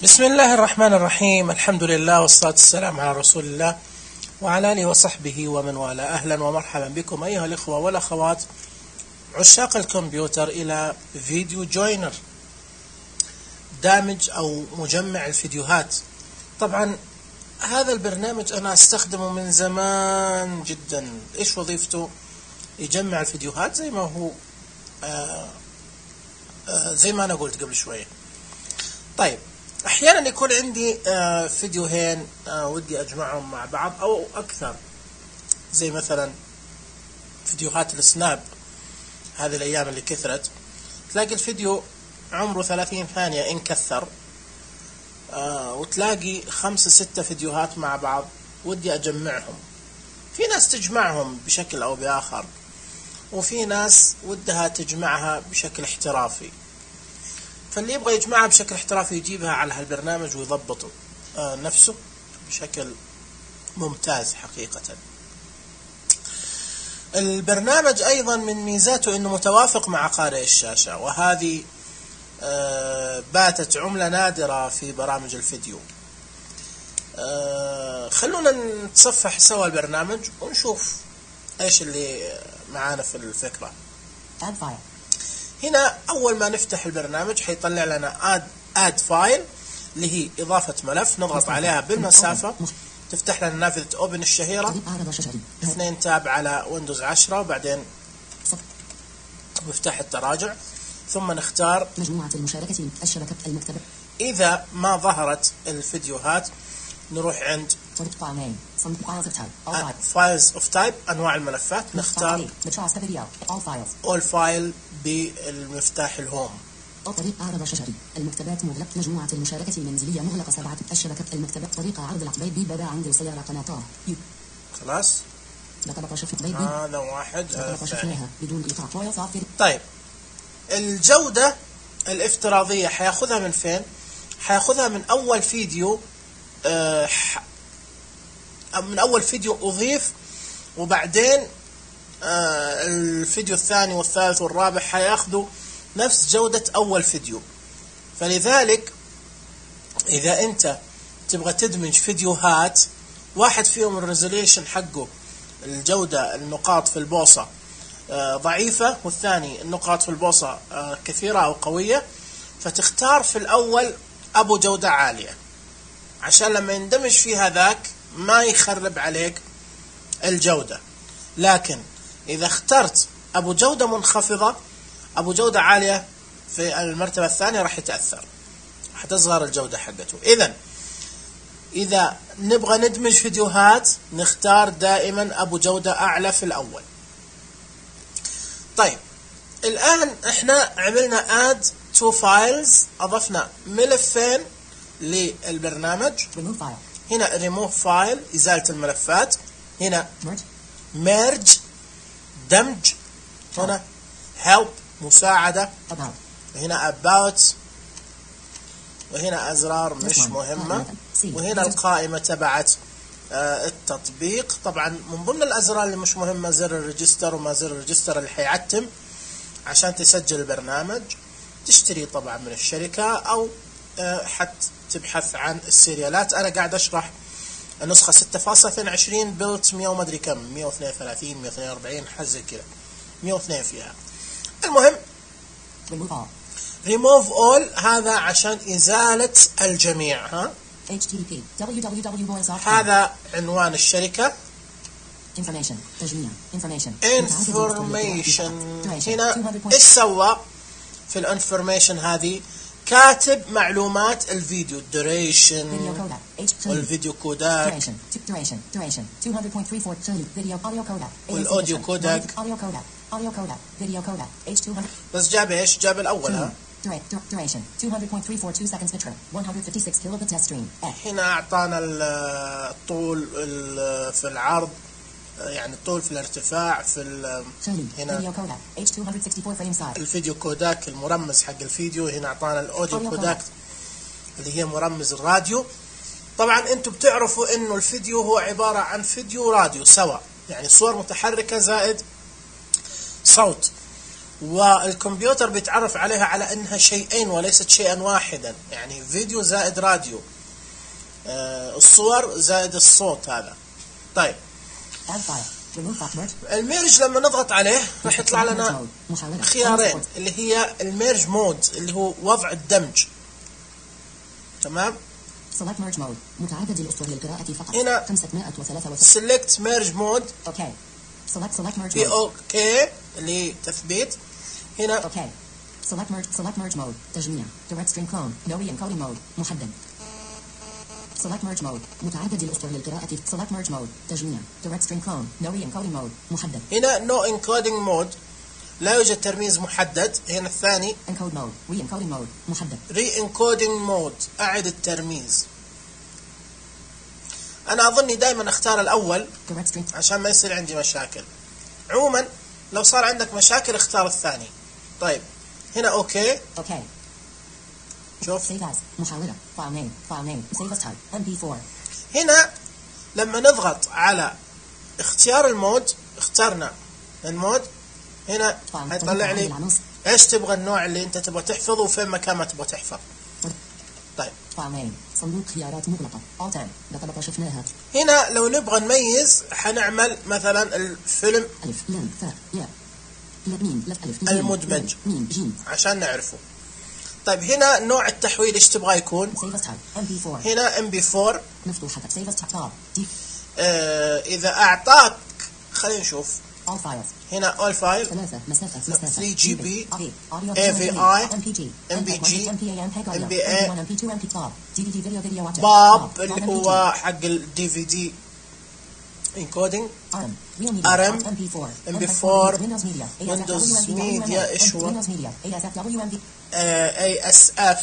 بسم الله الرحمن الرحيم. الحمد لله والصلاة والسلام على رسول الله وعلى آله وصحبه ومن والاه. أهلا ومرحبا بكم أيها الإخوة والأخوات عشاق الكمبيوتر إلى فيديو جوينر، دامج أو مجمع الفيديوهات. طبعا هذا البرنامج أنا أستخدمه من زمان جدا. إيش وظيفته؟ يجمع الفيديوهات زي ما هو زي ما أنا قلت قبل شوية. طيب أحيانا يكون عندي فيديوهين ودي أجمعهم مع بعض أو أكثر، زي مثلا فيديوهات السناب هذه الأيام اللي كثرت، تلاقي الفيديو عمره 30 ثانية إن كثر، وتلاقي 5-6 فيديوهات مع بعض ودي أجمعهم. في ناس تجمعهم بشكل أو بآخر، وفي ناس ودها تجمعها بشكل احترافي. فاللي يبغى يجمعها بشكل احترافي يجيبها على هالبرنامج ويضبط نفسه بشكل ممتاز حقيقة. البرنامج أيضا من ميزاته أنه متوافق مع قارئ الشاشة، وهذه باتت عملة نادرة في برامج الفيديو. خلونا نتصفح سوا البرنامج ونشوف ايش اللي معانا في الفكرة. هنا أول ما نفتح البرنامج حيطلع لنا add file اللي هي إضافة ملف، نضغط عليها بالمسافة تفتح لنا نافذة اوبن الشهيرة، 2 تاب على ويندوز 10، وبعدين مفتاح التراجع، ثم نختار مجموعة المشاركة الشبكة المكتبة. إذا ما ظهرت الفيديوهات نروح عند files of type أنواع الملفات، نختار all file بالمفتاح الهوم. طريقة عرض شجري المكتبات مغلق. مجموعة المشاركة المنزلية مغلقة 7. الشبكة المكتبة. طريقة عرض العقبيد بابا عند سيارة قناطار. خلاص لقب شفت بيبي. هذا واحد. بدون إيقاع. طيب الجودة الافتراضية حياخذها من فين؟ حياخذها من أول فيديو، من أول فيديو أضيف، وبعدين الفيديو الثاني والثالث والرابع حياخذوا نفس جودة أول فيديو. فلذلك إذا أنت تبغى تدمج فيديوهات، واحد فيهم الريزوليشن حقه الجودة النقاط في البوصة ضعيفة، والثاني النقاط في البوصة كثيرة أو قوية، فتختار في الأول أبو جودة عالية عشان لما يندمج في هذاك ما يخرب عليك الجودة. لكن إذا اخترت أبو جودة منخفضة، أبو جودة عالية في المرتبة الثانية راح يتأثر، حتصغر الجودة حقته. إذا نبغى ندمج فيديوهات نختار دائما أبو جودة أعلى في الأول. طيب الآن احنا عملنا add to files، أضفنا ملفين للبرنامج. هنا remove file إزالة الملفات، هنا merge دمج، هنا help مساعدة، وهنا about، وهنا أزرار مش مهمة، وهنا القائمة تبعت التطبيق. طبعا من ضمن الأزرار اللي مش مهمة زر الريجستر، وما زر الريجستر اللي حيعتم عشان تسجل البرنامج، تشتري طبعا من الشركة أو حتى تبحث عن السيريالات. أنا قاعد أشرح النسخة 6.22 بلت 100 وما أدري كم، 132 142 حزة كذا، 102 فيها. المهم remove all هذا عشان إزالة الجميع. هذا عنوان الشركة. information هنا إيش سوى في الانفورميشن؟ هذه كاتب معلومات الفيديو، duration والفيديو كوداك والأوديو كوداك، بس جاب إيش؟ جاب الأول. duration 200.342 seconds bit rate 156 kilobit test stream. هنا أعطانا الطول في العرض، يعني الطول في الارتفاع في هنا الفيديو كوداك المرمز حق الفيديو. هنا أعطانا الأوديو كوداك اللي هي مرمز الراديو. طبعا أنتم بتعرفوا إنه الفيديو هو عبارة عن فيديو راديو سوا، يعني صور متحركة زائد صوت. والكمبيوتر بيتعرف عليها على انها شيئين وليست شيئا واحدا، يعني فيديو زائد راديو، الصور زائد الصوت هذا. طيب الميرج لما نضغط عليه راح يطلع لنا خيارين اللي هي الميرج مود اللي هو وضع الدمج. تمام. Select merge mode متعدد الأسطر للقراءة فقط. هنا 563 select merge mode. اوكي. select merge في mode. اوكي اللي تثبيت. هنا اوكي. select merge mode تجميع direct string clone no encoding mode محدد. select merge mode متعدد الأسطر للقراءة. select merge mode تجميع direct string clone no encoding mode محدد. هنا no encoding mode لا يوجد ترميز محدد. هنا الثاني encode mode re-encoding mode محدد. re-encoding mode أعد الترميز. أنا أظني دائما أختار الأول عشان ما يصير عندي مشاكل. عموما لو صار عندك مشاكل اختار الثاني. طيب هنا أوكي. اوكي. شوف save as محاولة file name save as type mp4. هنا لما نضغط على اختيار المود اخترنا المود هنا هيطلع لي ايش تبغى النوع اللي انت تبغى تحفظه وفين مكان ما تبغى تحفظ. طيب صندوق خيارات مغلقة Alt لقد شفناها. هنا لو نبغى نميز حنعمل مثلا الفيلم ألف لام ثاء ياء ميم ألف المدمج ميم جيم عشان نعرفه. طيب هنا نوع التحويل ايش تبغى يكون؟ MP4. هنا MP4 مفتوحة save as type إذا أعطاك خلينا نشوف all files. هنا all file 3 GB AVI MPG MBA باب اللي هو حق الدي في دي encoding RM MP4 Windows Media ايش هو ASF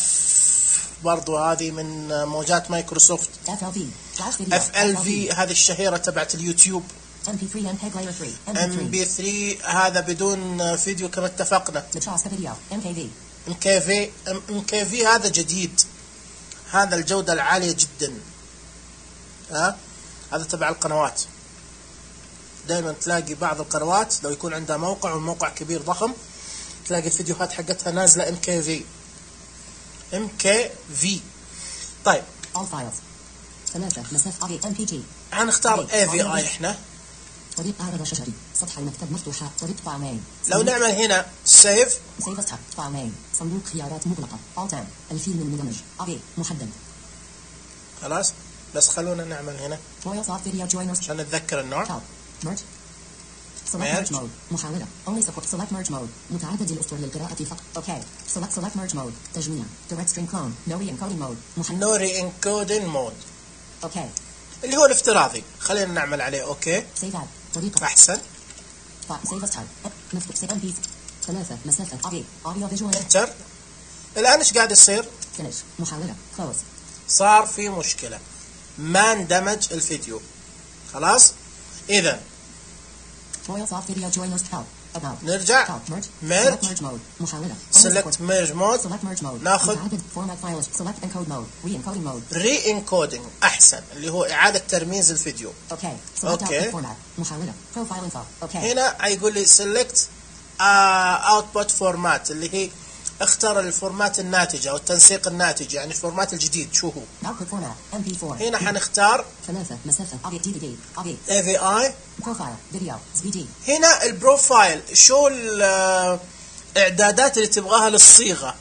برضو هذه من موجات مايكروسوفت. FLV هذه الشهيرة تبعت اليوتيوب. MP3 MPEG layer 3 MP3 هذا بدون فيديو كما اتفقنا. MKV هذا جديد، هذا الجودة العالية جدا. هذا تبع القنوات. دائما تلاقي بعض القنوات لو يكون عندها موقع والموقع كبير ضخم تلاقي الفيديوهات حقتها نازلة MKV. طيب all files 3 مسافة MPG هنختار AVI احنا. طريق عرض شجري سطح المكتب مفتوحة طريق فايل. لو نعمل هنا سيف فايل صندوق خيارات مغلقة Alt الفيلم المدمج محدد. خلاص بس خلونا نعمل هنا عشان نتذكر النوع. select merge mode محاولة only support select merge mode متعدد الأسطر للقراءة فقط. اوكي select merge mode تجميع direct string clone no re-encoding mode محدد. no re-encoding mode اوكي اللي هو الافتراضي. خلينا نعمل عليه اوكي احسن. ثلاثة مسافة audio visual انتر. الان ايش قاعد يصير؟ محاولة close. صار في مشكلة ما اندمج الفيديو. خلاص اذا نرجع merge select merge mode ناخذ re-encoding احسن اللي هو اعادة ترميز الفيديو. اوكي هنا يقول لي select output format اللي هي اختار الفورمات الناتج او التنسيق الناتج يعني الفورمات الجديد شو هو. هنا حنختار AVI. هنا البروفايل شو الاعدادات اللي تبغاها للصيغة.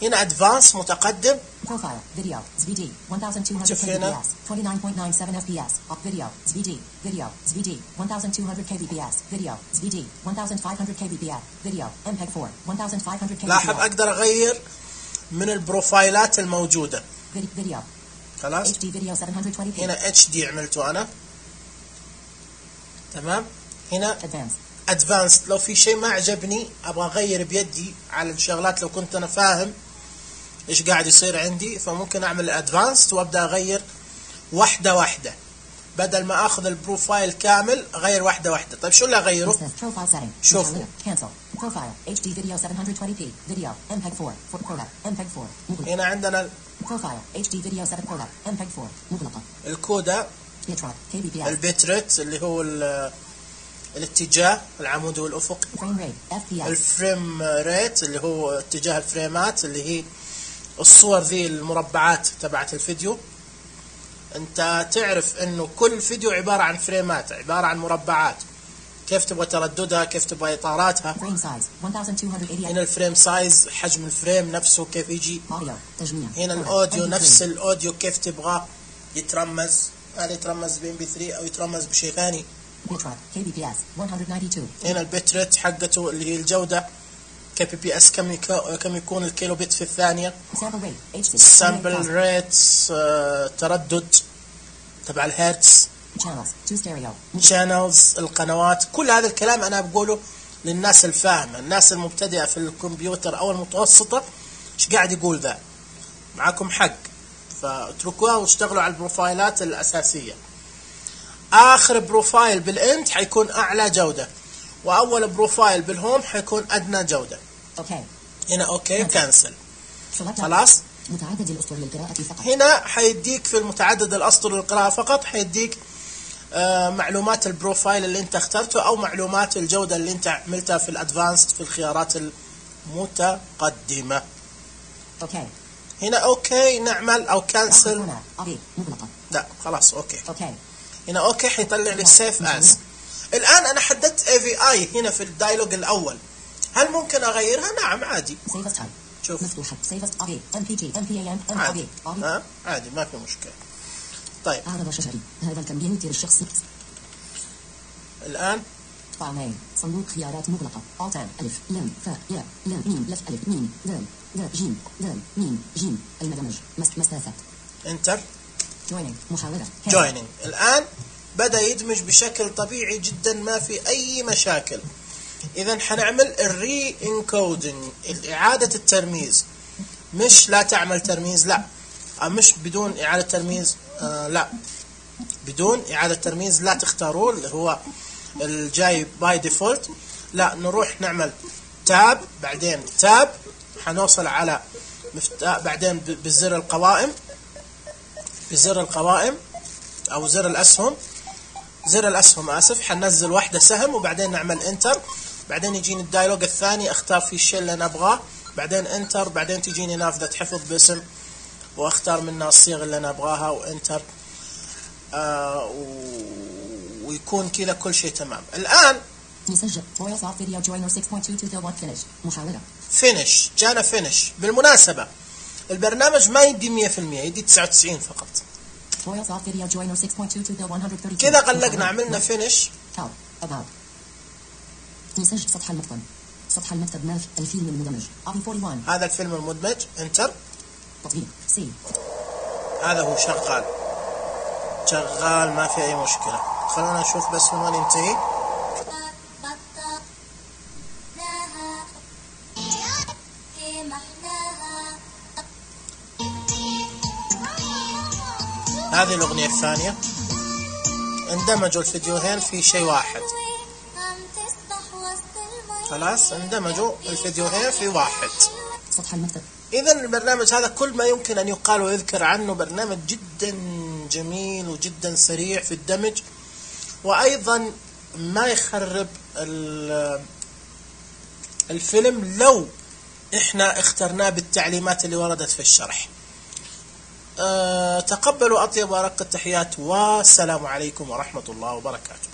هنا ادفانس متقدم. فيديو 1200 kbps 29.97 fps فيديو فيديو 1200 kbps فيديو 1500 kbps فيديو MPEG 4 1500 kbps. لاحظ اقدر اغير من البروفايلات الموجودة. فيديو خلاص HD فيديو 720p. هنا HD عملته انا تمام. هنا ادفانس لو في شيء ما عجبني ابغى اغير بيدي على الشغلات لو كنت انا فاهم ايش قاعد يصير عندي فممكن اعمل ادفانس وابدا اغير واحده واحده بدل ما اخذ البروفايل كامل اغير واحده واحده. طيب شو اللي اغيره؟ شوفوا بروفايل HD فيديو 720p فيديو MPEG 4 MPEG 4 هنا عندنا بروفايل HD فيديو 7 MPEG 4 مغلقه. الكودا البيتريت اللي هو الاتجاه العمودي والأفقي، Frame rate. FPS. الفريم ريت اللي هو اتجاه الفريمات اللي هي الصور ذي المربعات تبعت الفيديو. انت تعرف انه كل فيديو عبارة عن فريمات، عبارة عن مربعات، كيف تبغى ترددها، كيف تبغى اطاراتها. Frame size 1280. هنا الفريم سايز، حجم الفريم نفسه كيف يجي. Audio. تجميع. هنا الاوديو، نفس الاوديو كيف تبغى يترمز، هل يترمز ب MP3 او يترمز بشيء ثاني. Bitrate. KBPS 192. هنا البتريت حقته اللي هي الجودة، KBPS كم يكون الكيلو بت في الثانية. Sample rate. H6. السامبل ريتس تردد تبع الهرتز. Channels. 2 stereo. channels القنوات. كل هذا الكلام أنا بقوله للناس الفاهمة، الناس المبتدئة في الكمبيوتر أو المتوسطة إيش قاعد يقول ذا. معكم حق، فاتركوها واشتغلوا على البروفايلات الأساسية. آخر بروفايل بالإنت حيكون أعلى جودة، وأول بروفايل بالهوم حيكون أدنى جودة. Okay. هنا أوكي كانسل. Select. خلاص. متعدد الأسطر للقراءة فقط. هنا حيديك في المتعدد الأسطر للقراءة فقط، حيديك معلومات البروفايل اللي انت اخترته او معلومات الجودة اللي انت عملتها في الادفانسد في الخيارات المتقدمة. اوكي. هنا اوكي نعمل او كانسل. لا خلاص اوكي. اوكي. هنا اوكي حيطلع لي السيف از. الان انا حددت AVI هنا في الدايلوج الاول، هل ممكن اغيرها؟ نعم عادي. شوف مفتوحة. MPG MPAN عادي. عادي ما في مشكلة. طيب أعرض شجري. هذا الكمبيوتر الشخصي. الآن طعمين. صندوق خيارات مغلقة. آتان ألف لام فاء ياء لام ميم لف ألف ميم دال دال جيم دال ميم جيم. المدمج. مسافة. انتر. joining. محاولة. joining. الآن بدأ يدمج بشكل طبيعي جدا، ما في أي مشاكل. إذا حنعمل الري انكودينج، إعادة الترميز. مش لا تعمل ترميز، لا مش بدون إعادة ترميز، لا بدون إعادة ترميز لا تختاروه اللي هو الجاي باي ديفولت، لا نروح نعمل تاب، بعدين تاب حنوصل على بعدين بزر القوائم، بزر القوائم أو زر الأسهم، زر الأسهم آسف، حننزل واحدة سهم وبعدين نعمل انتر، بعدين يجيني الدايلوج الثاني اختار فيه الشيء اللي أنا أبغاه، بعدين انتر، بعدين تجيني نافذة حفظ باسم واختار منها الصيغة اللي أنا أبغاها وانتر، ويكون كذا كل شيء تمام. الآن نسجل فويس اوف فيديو جوينر 6.2 فينيش. محاولة. فينيش. جانا فينيش. بالمناسبة البرنامج ما يدي 100%، يدي 99 فقط. فويس اوف فيديو جوينر 6.2 132. كذا غلقنا عملنا فينيش. نسجل سطح المكتب. سطح المكتب ملف الفيلم المدمج. ابي 41. هذا الفيلم المدمج. انتر. تطبيق سي. هذا هو شغال، شغال ما في أي مشكلة. خلونا نشوف بس من وين ينتهي. هذه الأغنية الثانية. اندمجوا الفيديوهين في شيء واحد. خلاص اندمجوا الفيديوهين في واحد. سطح المكتب. إذا البرنامج هذا كل ما يمكن أن يقال ويذكر عنه، برنامج جدا جميل وجدا سريع في الدمج، وأيضا ما يخرب الفيلم لو إحنا اخترناه بالتعليمات اللي وردت في الشرح. تقبلوا أطيب وأرق التحيات، والسلام عليكم ورحمة الله وبركاته.